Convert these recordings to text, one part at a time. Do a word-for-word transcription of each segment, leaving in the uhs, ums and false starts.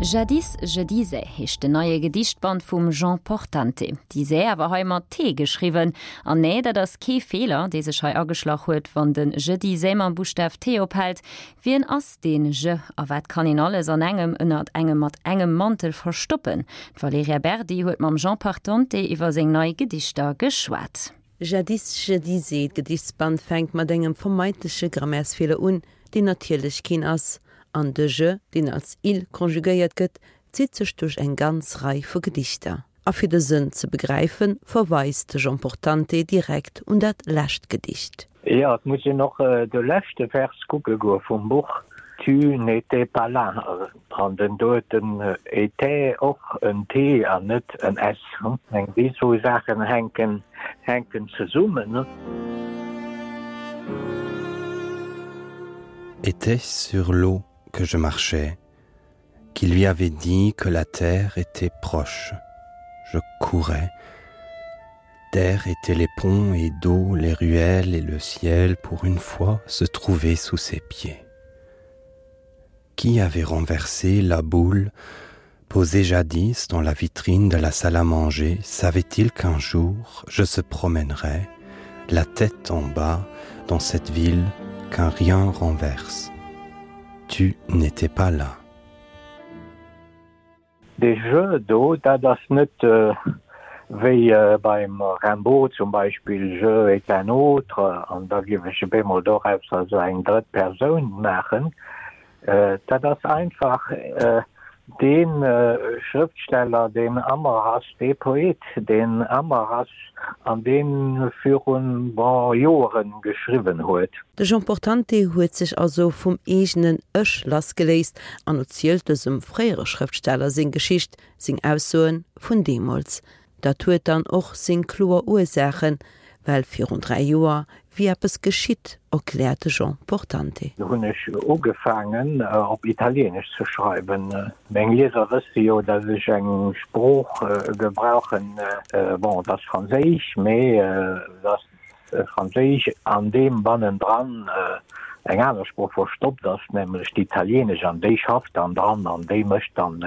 Jadis je disais heescht den neie Gedichtband vum Jean Portante. Disais awer hei mat T geschriwwen. An nee, dat ass kee Feeler, dee sech hei ageschlach huet, wann den je disais mam Buschtaf T ophält. Wien ass deen je a wat kann een alles an engem ënnert engem mat engem Mantel verstoppen? D'Valerija Berdi huet mam Jean Portante iwwer seng nei Gedichter geschwat. Jadis je disais, Gedichtsband fänkt mat engem vermeintleche Grammärsfeeler un, deen natierlech keen ass. An de je, deen als il konjugéiert gëtt, zitt sech duerch eng ganz Rei vu Gedichter. A fir de Sënn ze begräifen, verweist de Jean Portante direkt un dat lescht Gedicht. Jo, et muss een och de leschte Vers kucke goe vum Buch, Tu n'étais pas là. An den do huet den étais och en T an net en S. Eng déi zwou Saachen hänken hänken zesummen. Était-ce sur l'eau que je marchais, qui lui avait dit que la terre était proche. Je courais. Terre étaient les ponts et d'eau, les ruelles et le ciel pour une fois se trouver sous ses pieds. Qui avait renversé la boule, posée jadis dans la vitrine de la salle à manger, savait-il qu'un jour je se promènerais, la tête en bas, dans cette ville qu'un rien renverse. Tu n'étais pas là. Dee je do, dat ass net wéi beim Rimbaud zum Beispill, je est un autre, an da géif ech op eemol doraus also eng drëtt Persoun maachen. Dat ass einfach dee Schrëftsteller, deen ëmmer ass, dee Poet, deen ëmmer ass an dee virun, bon, Joeren geschriwwen huet. De Jean Portante huet sech also vum eegenen Ech lassgeléist an erzielt dësem fréiere Schrëftsteller seng Geschicht, seng Aussoe vun deemools. Dat huet dann och seng kloer Ursaachen, well virun dräi Joer wier eppes geschitt, erkläert de Jean Portante. Do hunn ech ugefaangen op Italieenesch ze schreiwen. Meng Lieser wësse jo, datt ech eng Sprooch gebrauchen, bon, et ass Franséisch, mee et ass Franséisch, an deem bannendran eng aner Sprooch verstoppt ass, nämlech d'Italieenesch, an déi schafft dann dran an déi mécht dann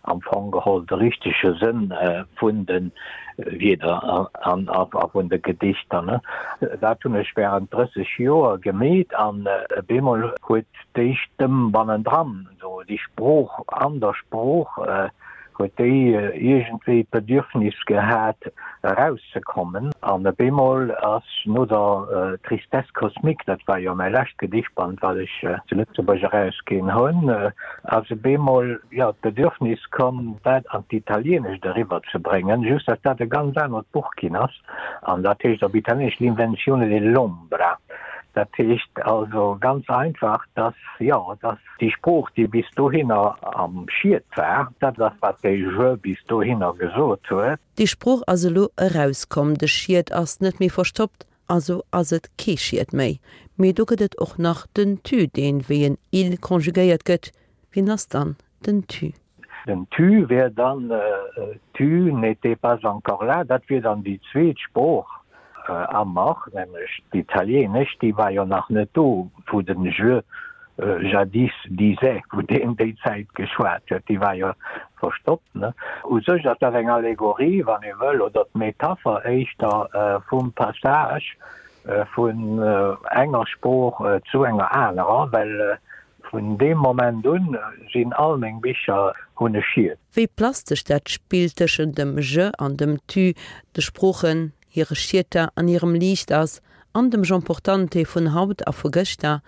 am Fong geholl de richtege Sënn vun de Wierder an a vun de Gedichter. Dat hunn ech während drësseg Joer gemeet an op eemol huet déi Stëmm bannendran, déi Sprooch an der Sprooch, huet déi iergendwéi d'Bedürfnis gehat erauszekommen. An op eemol ass no der Tristesse cosmique, dat war jo mäi lescht Gedichtband, wat ech zu Lëtzebuerg erausginn hunn, ass op eemol, jo, d'Bedürfnis komm, dat an d'Italienescht eriwwerzebréngen, just datt dat e ganz anert Buch ginn ass. An dat heescht op Italieenesch L'invenzione dell'ombra. Dat heescht also ganz einfach, dass, jo, dass déi Sprooch, déi bis dohinner am Schiet war, dat ass, wat de Je bis dohinner gesot huet. Déi Sprooch ass elo erauskomm, de Schiet ass net méi verstoppt, also ass et kee Schiet méi. Mee do gëtt et och nach den Tu, deen wéi en Il konjugéiert gëtt. Wien ass dann den Tu? Den Tu wär dann, Tu n'étais pas encore là, dat wier dann déi zweet Sprooch am Mach, nämlech d'Italieenesch, déi war jo nach net do, wou den Je jadis disait, wou deen déi Zäit geschwat huet, déi war jo verstoppt. U sech ass dat eng Allegorie, wann ee wëll, oder d'Metapher éischter vum Passage vun enger Sprooch zu enger anerer, well Vun deem Moment un sinn all meng Bicher hunn e Schiet. Wéi plastesch dat Spill tëschent dem Je an dem Tu, de Sproochen, hire Schieter an hirem Liicht ass, an dem Jean Portante vun haut a vu gëschter,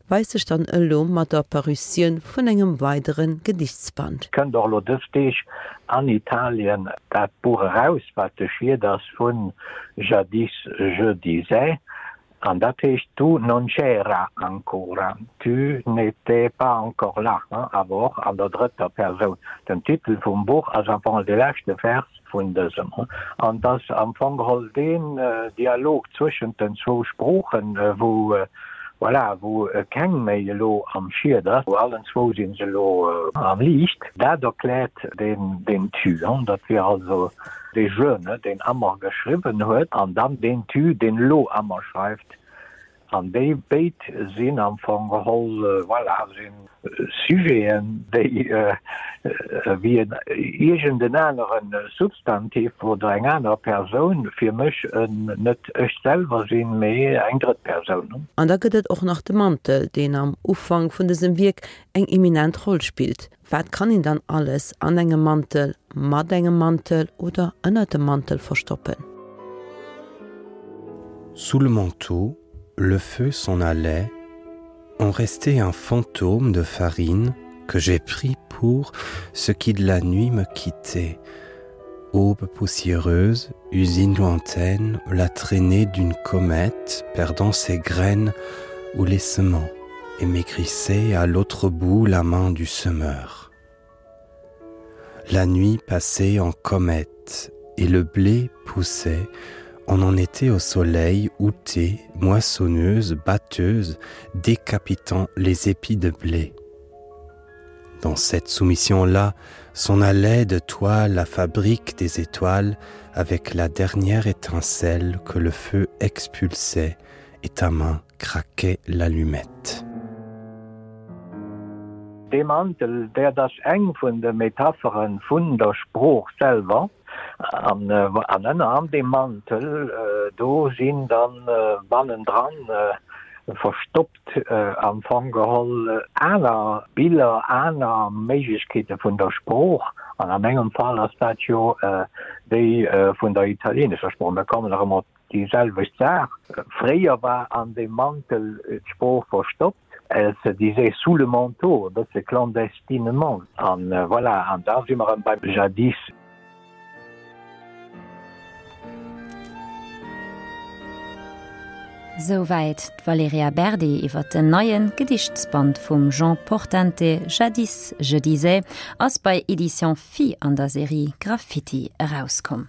weist sech dann elo mat der Parutioun vun engem weidere Gedichtsband. Kënnt och elo dës Deeg an Italien dat Buch eraus, wat de Schiet ass vun Jadis je disais. An dat heescht, Tu non c'era ancora, tu n'étais pas encore là, awer och an der drëtter Persoun. Den Titel vum Buch ass am Fong de leschte Vers vun dësem. An et ass am Fong geholl deen Dialog zwëschent den zwou Sproochen, wou, voilà, wou keng méi elo am Schied ass, allen zwou si se elo am Liicht. Dat erkläert deen Tu. Dat wier also Dee Je, deen Ammer geschriwwen huet, an dann deen Tu, deen elo Ammer schreift, an déi béid sinn am Fong geholl, voilà, si Sujeten, déi, wéi en iergend en anere Substantiv oder eng aner Persoun fir mech net ech selwer sinn, mee eng drëtt Persoun. An da gëtt et och nach de Mantel, deen am Ufank vun dësem Wierk eng eminent Roll spillt. Wat kann een dann alles an engem Mantel, mat engem Mantel oder ënnert dem Mantel verstoppen? Sous le manteau, le feu s'en allait, on restait un fantôme de farine que j'ai pris pour ce qui de la nuit me quittait. Aube poussiéreuse, usine lointaine, la traînée d'une comète perdant ses graines ou les semant et maigrissait à l'autre bout la main du semeur. La nuit passait en comète et le blé poussait, on en était au soleil outé, moissonneuse, batteuse, décapitant les épis de blé. Dans cette soumission-là s'en allait de toi la fabrique des étoiles avec la dernière étincelle que le feu expulsait et ta main craquait l'allumette. Dee Mantel, dat ass eng vun de Metapheren vun der Sprooch selwer, an an ënner an deem Mantel, do sinn dann bannendran verstoppt am Fong geholl aner Biller, aner Méiglechkeete vun der Sprooch, an a mengem Fall ass dat jo déi vun der italienescher Sprooch. Mir kommen nach ëmmer op déi selwecht Saach, Fréier war an deem Mantel d'Sprooch verstoppt, elle se disait sous le manteau, e bësse clandestinement, an voilà, an da si mer erëm beim Jadis. Souwäit d'Valerija Berdi iwwer den neie Gedichtsband vum Jean Portante Jadis, je disais, ass bei Éditions Phi an der Serie Graffiti erauskomm.